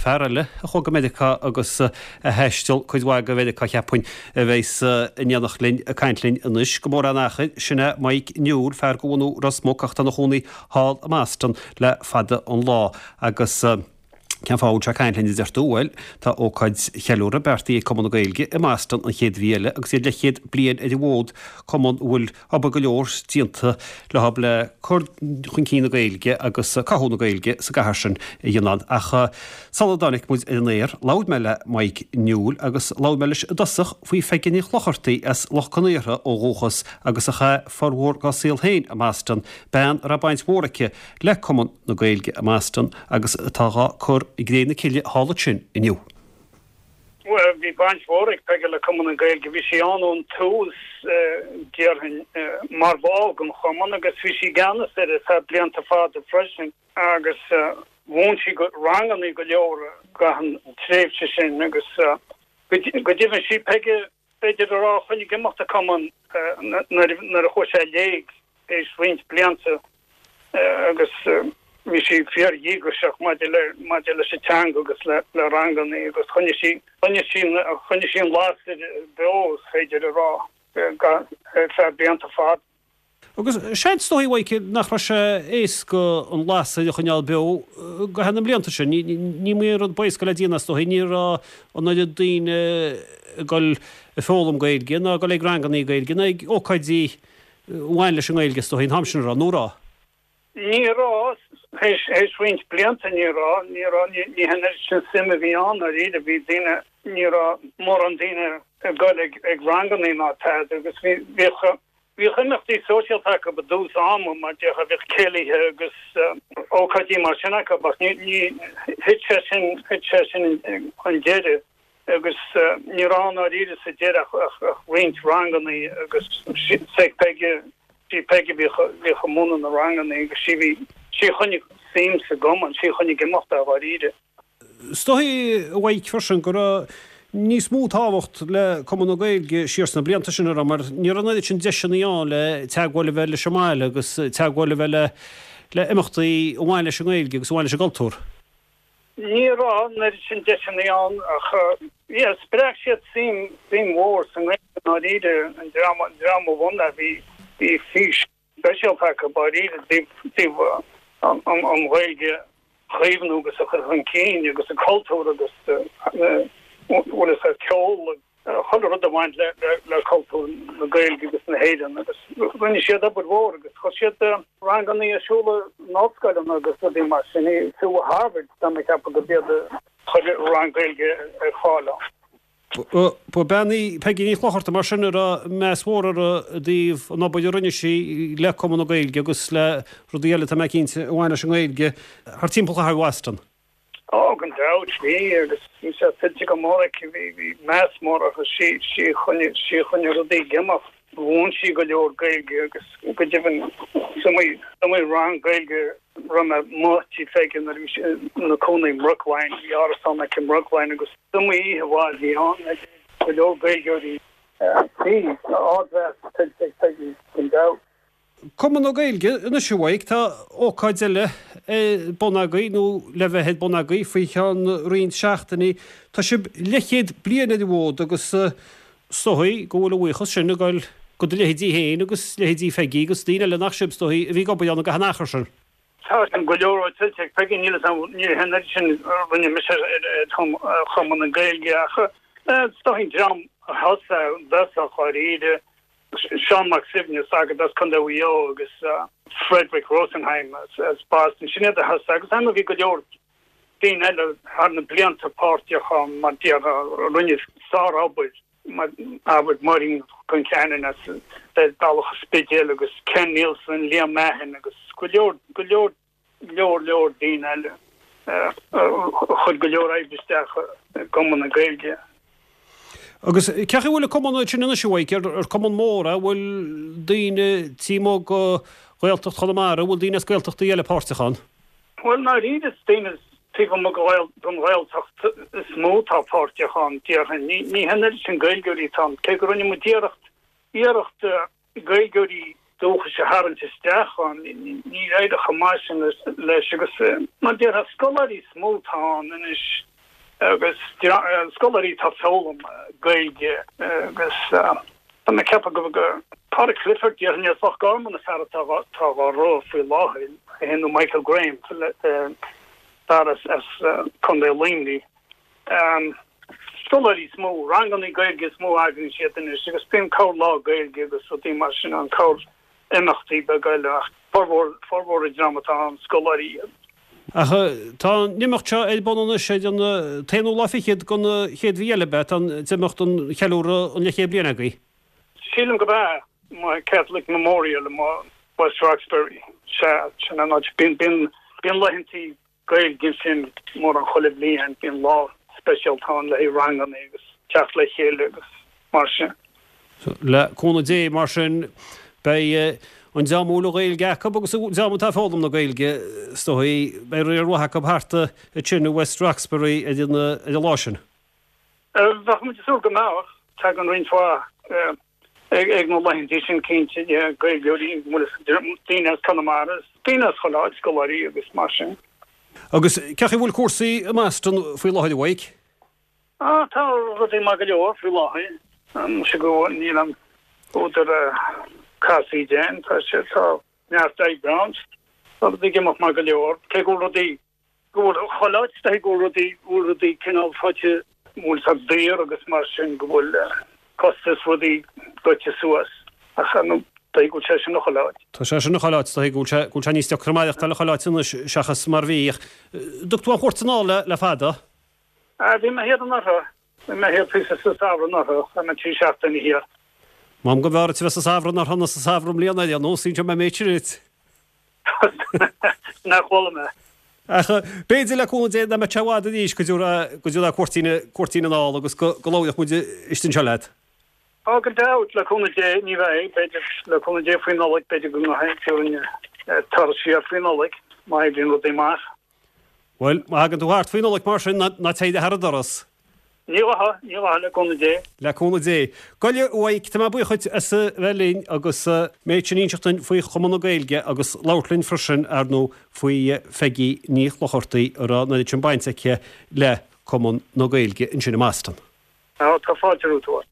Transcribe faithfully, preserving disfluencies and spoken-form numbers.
Fear eile a chuaigh go Meiriceá agus a thaistil cuid mhaith go Mheiriceá cheapfainn a bheas in éineacht linn ag caint linn anois go mór an achar, sin é Mike Newell, fear de bhunadh Ros Muc ach tá ina chónaí thall i mBoston le fada an lá agus cén fáth a bhfuil sé ag caint linn a deir tú? Bhuel, tá ócáid cheiliúrtha beartaithe ag Cumann na Gaeilge i mBoston an chéad mhí eile agus iad leathchéad bliain ar an bhfód, cumann a bhfuil obair go leor déanta leo le cur chun cinn na Gaeilge agus cothú na Gaeilge sa gcathair sin a dhéanamh. Ach sula dtáinig muid ar an aer, labhair mé le Mike Newell agus labhair mé leis i dtosach faoi Pheigí Ní Chlochartaigh as Loch Con Aortha ó dhúchas agus a chaith formhór dá saol féin i mBoston, bean a raibh baint mhór aici le Cumann na Gaeilge i mBoston agus atá dhá cur i gcré na cille thall ansin inniu. Well, bhí baint mhór ag Peige le Cumann na Gaeilge, bhí sí ann ón tús déarfainn mar bhall den chumann agus bhí sí i gceannas air ar feadh blianta fada freisin agus mhúin sí ranganna go leor gach tréimhse sin agus go deimhin sí Peige b'fhéidir a rá a choinnigh ag imeacht an cumann nuair a chuaigh sé i léig théis roinnt blianta agus bhí sí fíordhíograiseach maidir le maidir leis an teanga agus le le ranganna agus choinnigh sí choinnigh sí choinnigh sí an lasair beo is féidir a rá ar feadh blianta fada. Agus seans is dóigh Mhaidhc nach raibh sé éasca an lasair a choinneáil beo go thar na mblianta sin. Ní ní aon rud ba éasca le déanamh is dóigh, ní raibh an oiread daoine ag dul ag foghlaim Gaeilge ná ag dul ag ranganna Gaeilge ná ag ócáidí a bhain leis an nGaeilge is dóigh an t-am sin a raibh, nó raibh? Ní raibh, théis roinnt blianta ní raibh, ní raibh, ní hin oiread sin suim a bhí ann dáiríre, bhí daoine, ní raibh mórán daoine ag dul ag ag ranganna ná tada agus bhí bhíodh bhíodh imeachtaí sóisialta acu i dtús ama mar déarfá bhíodh céilithe agus ócáidí mar sin acu ach ní ní thit sé sin thit sé sin an deireadh agus ní raibh ann dáiríre sa deireadh ach ach roinnt ranganna agus sé Peige sí Peige bhíodh bhíodh ag múineadh na ranganna agus sí bhí sí a choinnigh suim sa gcumann, sí a choinnigh ag imeacht é dháiríre. Is dóigh a Mhaidhc freisin go raibh níos mó tábhacht le Cumann na Gaeilge siar sna blianta sin a raibh mar ní raibh an oiread sin deiseanna ann le teagmháil a bheith leis an mbaile agus teagmháil a bheith le le imeachtaí a bhain leis an nGaeilge agus a bhain leis an gcultúr. Ní raibh an oiread sin deiseanna ann ach yeah spreag siad suim suim mhór sa nGaeilge dáiríre an dream an dream a bhunaigh bhí bhí fís speisialta acu dáiríre i dtaobh an an an Ghaeilge a chaomhnú agus a chur chun cinn agus an cultúr agus bhfuil a ceol chuile rud a bhain le le cultúr na Gaeilge agus na hÉireann agus rinne siad obair mhór agus chuir siad ranganna ar siúl in ollscoileanna agus rudaí mar sin fiú i Harvard tá mé ag ceapadh gurb iad a chuir rang Gaeilge ar fáil ann. Ba bean í Peigí Ní Chlochartaigh mar sin a raibh meas mór uirthi i dtaobh an obair a rinne sí le Cumann na Gaeilge agus le rudaí eile tá mé cinnte a bhain leis an nGaeilge thar timpeall chathair Bhoston. Ó gan dabht bhí agus bhí sé tuillte go mór aici bhí bhí meas mór uirthi sí sí a choinnigh sí a choinnigh rudaí ag imeacht. Mhúin sí go leor Gaeilge agus go deimhin is iomaí iomaí rang Gaeilge a raibh mé amuigh tigh Pheige nuair a bhí sí ina cónaí i mBrookline bhí árasán aici i mBrookline agus is iomaí oíche mhaith a bhí ann ag go leor Gaeilgeoirí. Bhí ardmheas tuillte ag Peigí gan dabht. Cumann na Gaeilge anois a Mhaidhc, tá ócáid eile ar bun agaibh nó le bheith ar bun agaibh faoi cheann roinnt seachtainí. Tá sibh leathchéad bliain ar an bhfód agus is dóigh go bhfuil an bhuíochas sin ag dul go do leithéidí féin agus leithéidí Pheigí agus daoine eile nach sibh is dóigh a bhí ag obair ann i gcaitheamh an achair sin. Tá go leor tuillte ag Peigí, níl a fhios agam, ní hin oiread sin a rinne mise ar Chumann na Gaeilge ach is dóigh an dream a thosaigh i dtosach dháiríre, Seán Mac Suibhne, sagart as Contae Mhaigh Eo agus Frederick Rosenheim as Boston, sin iad a thosaigh agus ar ndóigh bhí go leor daoine eile thar na blianta páirteach ann mar déarfá a rinne sárobair, mar abair Máirín Concannon as Bealach an Spidéil agus Ken Nielsen, Liam Mahon agus go leor, go leor leor leor daoine eile a chuir go leor oibre isteach i gCumann na Gaeilge. Agus cén chaoi a bhfuil an cumann sin anois a Mhaidhc, ar cumann mór é, an bhfuil daoine taobh amuigh de Ghaeltacht Chonamara, an bhfuil daoine as Gaeltachtaí eile páirteach ann? Bhuel, ndáiríre is daoine taobh amuigh den Ghaeltacht is mó atá páirteach ann, déarfainn. Ní hin oiread sin Gaeilgeoirí atá ann, cé go rinne muid iarracht, iarracht Gaeilgeoirí dúchais a tharraingt isteach ann, níor éirigh chomh maith sin leis agus mar déarfá scoláirí is mó atá ann anois. Agus scoláirí atá ag foghlaim Gaeilge agus tá mé ag ceapadh go go Pádraig Clifford déarfainn as Loch Garman an fear atá atá á rith faoi láthair, é féin nó Michael Graham, fear as as Contae Luimnigh. Scoláirí is mó, ranganna Gaeilge is mó a eagraíonn siad anois agus bíonn corr lá Gaeilge agus rudaí mar sin ann, corr imeachtaí beaga eile ach formhór formhór an dream atá ann, scoláirí iad. Ach tá an imeacht seo ar bun anois ar an t-aonú lá fichead den chéad mhí eile, ab ea? Tá an t-imeacht don cheiliúradh an leathchéad bliain agaibh. Sílim gurb ea, Catholic Memorial i West Roxbury. Sea, sin an áit. Bíonn bíonn bíonn laethantaí Gaeilge ansin mórán chuile bhliain, bíonn lá speisialta ann le haghaidh ranganna agus teacht le chéile agus mar sin. Le cúnamh Dé, mar sin, beidh an dream a bhfuil an Ghaeilge acu agus an dream atá ag foghlaim na Gaeilge, is dóigh, beidh riar mhaith acu thart ansin i West Roxbury ar an ar an lá sin. Bheadh muid ag súil go mbeadh. Tagann roinnt mhaith ag na laethanta sin cinnte, Gaeilgeoirí, daoine as Conamara, daoine as chuile áit, scoláirí agus mar sin. Agus cén chaoi a bhfuil cúrsaí i mBoston faoi láthair, a Mhaidhc? Ah, tá rudaí maith go leor faoi láthair. Sé go níl an údar casaoide ann, tá sé, tá neart oibre ann. Tá rudaí ag imeacht maith go leor, cé go bhfuil rudaí go bhfuil chuile áit, go bhfuil rudaí, go bhfuil rudaí cineál faighte, go bhfuil siad daor agus mar sin, go bhfuil costas rudaí goite suas. Ach ar ndóigh go bhfuil sé sin chuile áit. Tá sé sin chuile áit, go bhfuil sé go bhfuil sé níos deacra maireachtáil chuile áit anois seachas mar bhí. An dtug tú aon chuairt anall le le fada? Ah, bhí mé thiar anuraidh. Bhí mé thiar píosa sa samhradh anuraidh, chaith mé trí seachtaine thiar. M'anam go mb'fhearr duit a bheith sa samhradh anuraidh ná sa samhradh i mbliana ar aon nós, inseoidh mé an méid sin duit. Nach bhfuil mé. Ach b'fhéidir le cúnamh Dé nach mbeidh sé i bhfad arís go dtiocfaidh cuairtín cuairtín anall agus go go labhróidh muid istigh anseo leat. Á, gan dabht, le cúnamh Dé, ní bheidh, b'fhéidir, le cúnamh Dé faoin Nollaig, b'fhéidir go ngabhfaidh turas siar faoin Nollaig, má oibríonn rudaí amach. Bhuel, má thagann tú thart faoin Nollaig mar sin, ná téigh thar an doras. Ní ghabhfaidh, ní ghabhfaidh, le cúnamh Dé. Le cúnamh Dé. Gabh i leith, a Mhaidhc, tá mé buíoch dhuit as a bheith linn agus méid sin a inseacht dúinn faoi Chumann na Gaeilge agus labhairt linn freisin, ar ndóigh, faoi Pheigí Ní Chlochartaigh a raibh an oiread sin baint aici le Cumann na Gaeilge ansin i mBoston. Á, tá fáilte romhat.